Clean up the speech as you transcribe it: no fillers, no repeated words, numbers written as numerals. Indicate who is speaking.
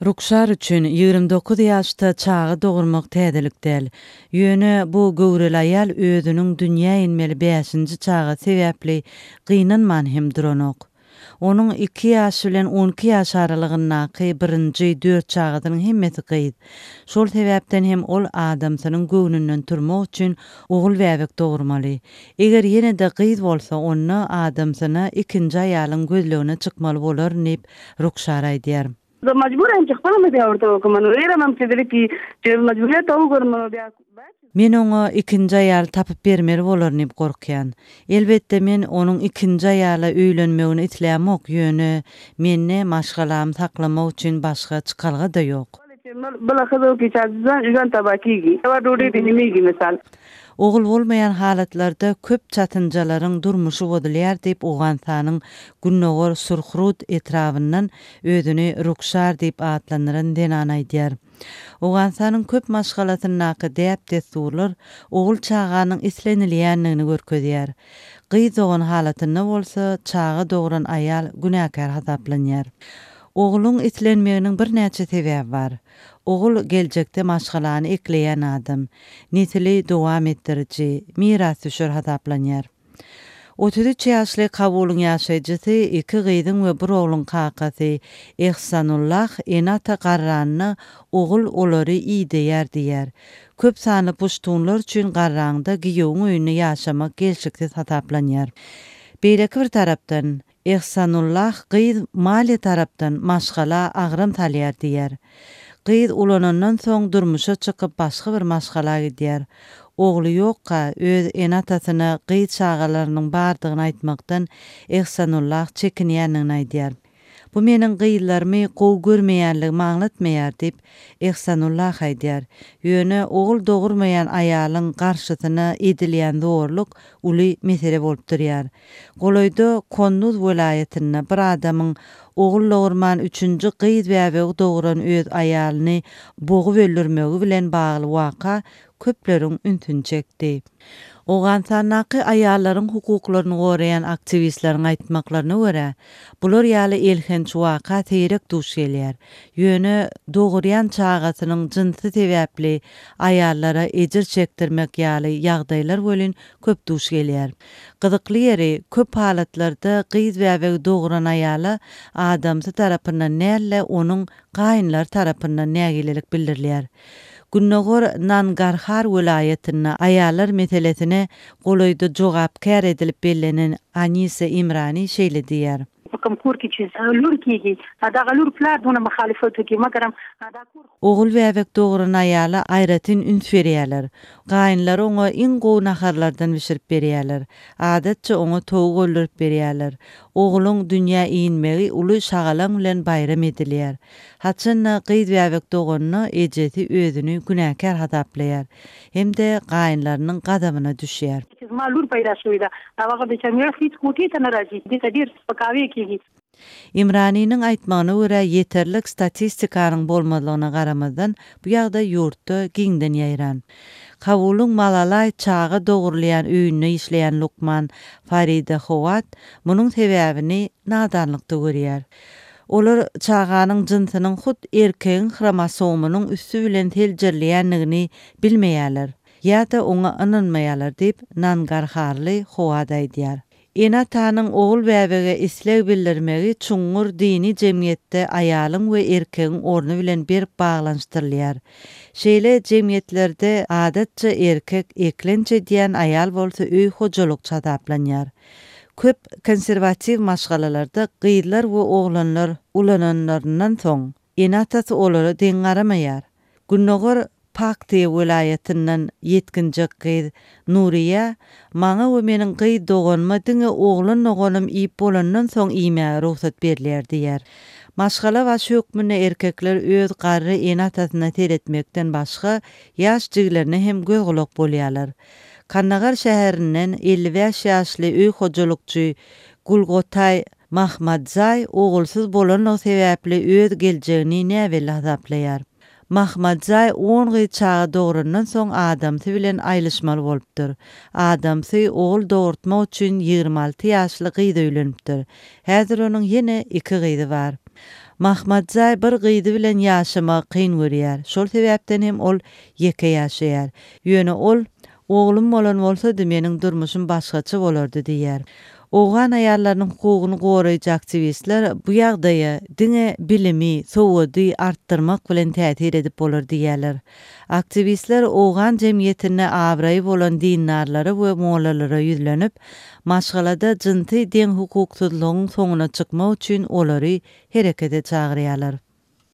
Speaker 1: Rukşar üçin 29 ýaşda çaga dogurmak täzelik däl. Ýöne bu göwreli aýal özüniň dünýä inmeli bäşinji çagasy sebäpli gynanman hem duranok. Onuň iki ýaş bilen 12 ýaş aralygyndaky birinji dört çagasynyň hemmesi gyz. Şol sebäpden hem ol adamsynyň göwnünden turmak üçin ogul bäbek dogurmaly. Eger ýene-de gyz bolsa, onda adamsyna ikinji aýalyň gözlegine çykmaly bolaryn diýip, Rukşar aýdýar. Men oňa ikinji aýal tapyp bermeli bolaryn diýip gorkýan. Elbetde, men onuň ikinji aýala öýlenmegini islämok, ýöne mende maşgalamy saklamak üçin başga çykalga-da ýok. Ogul bolmaýan halatlarda köp çatynjalaryň durmuşy bozulýar diýip, Owganystanyň gündogar Surhrud etrabyndan özüni Rukşar diýip atlandyran zenan aýdýar. Owganystanyň köp maşgalasyndaky däp-dessurlar ogul çaganyň islenilýändigini görkezýär. Gyz dogan halatynda bolsa, çaga dogran aýal günäkär hasaplanýar. Ogluň islenmeginiň birnäçe sebäbi bar. Ogul geljekde maşgalany ekleýän adam, nesili dowam etdiriji, mirasdüşer hasaplanýar. 33 ýaşly Kabulyň ýaşaýjysy, iki gyzyň we bir ogluň kakasy Ehsanullah ene-ata garranda ogul olary ideýär diýýär. Köp sanly puştunlar üçin garraňda giýewiň öýünde ýaşamak gelşiksiz hasaplanýar. Beýleki bir tarapdan, Ehsanullah gyz maliýe tarapdan maşgala agram salýar diýýär. Gyz ulanandan soň durmuşa çykyp başga bir maşgala gidýär. Ogly ýokka öz ene-atasyna gyz çagalarynyň bardygyny aýtmakdan Ehsanullah çekinýändigini aýdýar. Bu meniň gyzlarymy gowy görmeýänligimi aňlatmaýar diýip, Ehsanullah aýdýar. Ýöne ogul dogurmaýan aýalyň garşysyna edilýän zorluk uly mesele bolup durýar. Golaýda Konduz welaýatynda bir adamyň ogul dogurman üçünji gyz bäbegi dogran öz aýalyny bogup öldürmegi bilen bagly waka köpleriň ünsüni çekdi. Owganystandaky aýallaryň hukuklaryny goraýan aktiwistleriň aýtmaklaryna görä, bular ýaly elhenç waka seýrek duş gelýär. Ýöne dogurýan çagasynyň jynsy sebäpli aýallara ejir çekdirmek ýaly ýagdaýlar welin köp duş gelýär. Gyzykly ýeri, köp halatlarda gyz bäbegi dogran aýala adamsy tarapyndan däl-de, onuň gaýynlary tarapyndan nägilelik bildirilýär. Gündogar Nangarhar welaýatynda aýallar meselesine golaýda jogapkär edilip bellenen Anisa Imrani şeýle diýýär. Ogul bäbek dogran aýala aýratyn üns berýärler. Gaýynlary oňa iň gowy naharlardan bişirip berýärler. Adatça oňa towuk öldürip berýärler. Ogluň dünýä inmegi uly şagalaň bilen baýram edilýär. Haçan-da gyz bäbek doganda ejesi özüni günäkär hasaplaýar hem-de gaýynlarynyň gazabyna düşýär. Imraniniň aýtmagyna görä, ýeterlik statistikanyň bolmazlygyna garamazdan, bu ýagdaý ýurtda giňden ýaýran. Kabulyň Malalaý çaga dogrulýan öýünde işleýän lukman Farida Howat munuň sebäbini nadanlykda görýär. Olar çaganyň jynsynyň hut erkegiň hromosomynyň üsti bilen seljerilýändigini bilmeýärler ýa-da oňa ynanmaýarlar diýip, Nangarharly Howat aýdýar. Ene-atanyň ogul bäbege isleg bildirmegi çuňňur dini jemgyýetde aýalyň we erkegiň orny bilen berk baglanyşdyrylýar. Şeýle jemgyýetlerde adatça erkek eklenç edýän, aýal bolsa öý hojalykçy hasaplanýar. Köp konserwatiw maşgalalarda gyzlar we oglanlar ulananlaryndan soň, ene-atasy olara deň garamaýar. Gündogar Paktiýa welaýatyndan ýetginjek gyz Nuriýa maňa we meniň gyz doganyma diňe oglan doganym iýip bolandan soň iýmäge rugsat berilýär diýýär. Maşgala başy hökmünde erkekler öz garry ene-atasyna seretmekden başga ýaş jigilerine hem göz-gulak bolýarlar. Kandagar şäherinden 55 ýaşly öý hojalykçy Gulgotaý Mahmadzaý ogulsyz bolanlygy sebäpli öz geljegini näbelli hasaplaýar. Mahmadzaý on gyz çaga dograndan soň adamsy bilen aýlyşmaly bolupdyr. Adamsy ogul dogurtmak üçin 26 ýaşly gyza öýlenipdir. Häzir onuň ýene iki gyzy bar. Mahmadzaý bir gyzy bilen ýaşamagy kyn görýär, şol sebäpden hem ol ýeke ýaşaýar. Ýöne ol, Oglum bolan bolsady, meniň durmuşym başgaça bolardy diýýär. Owgan aýallarynyň hukugyny goraýjy aktiwistler bu ýagdaýa diňe bilimi, sowady artdyrmak bilen täsir edip bolar diýýärler. Aktiwistler owgan jemgyýetinde abraýy bolan dindarlara we mollalara ýüzlenip, maşgalada jynsy deňhukuksyzlygyň soňuna çykmak üçin olary herekete çagyrýarlar.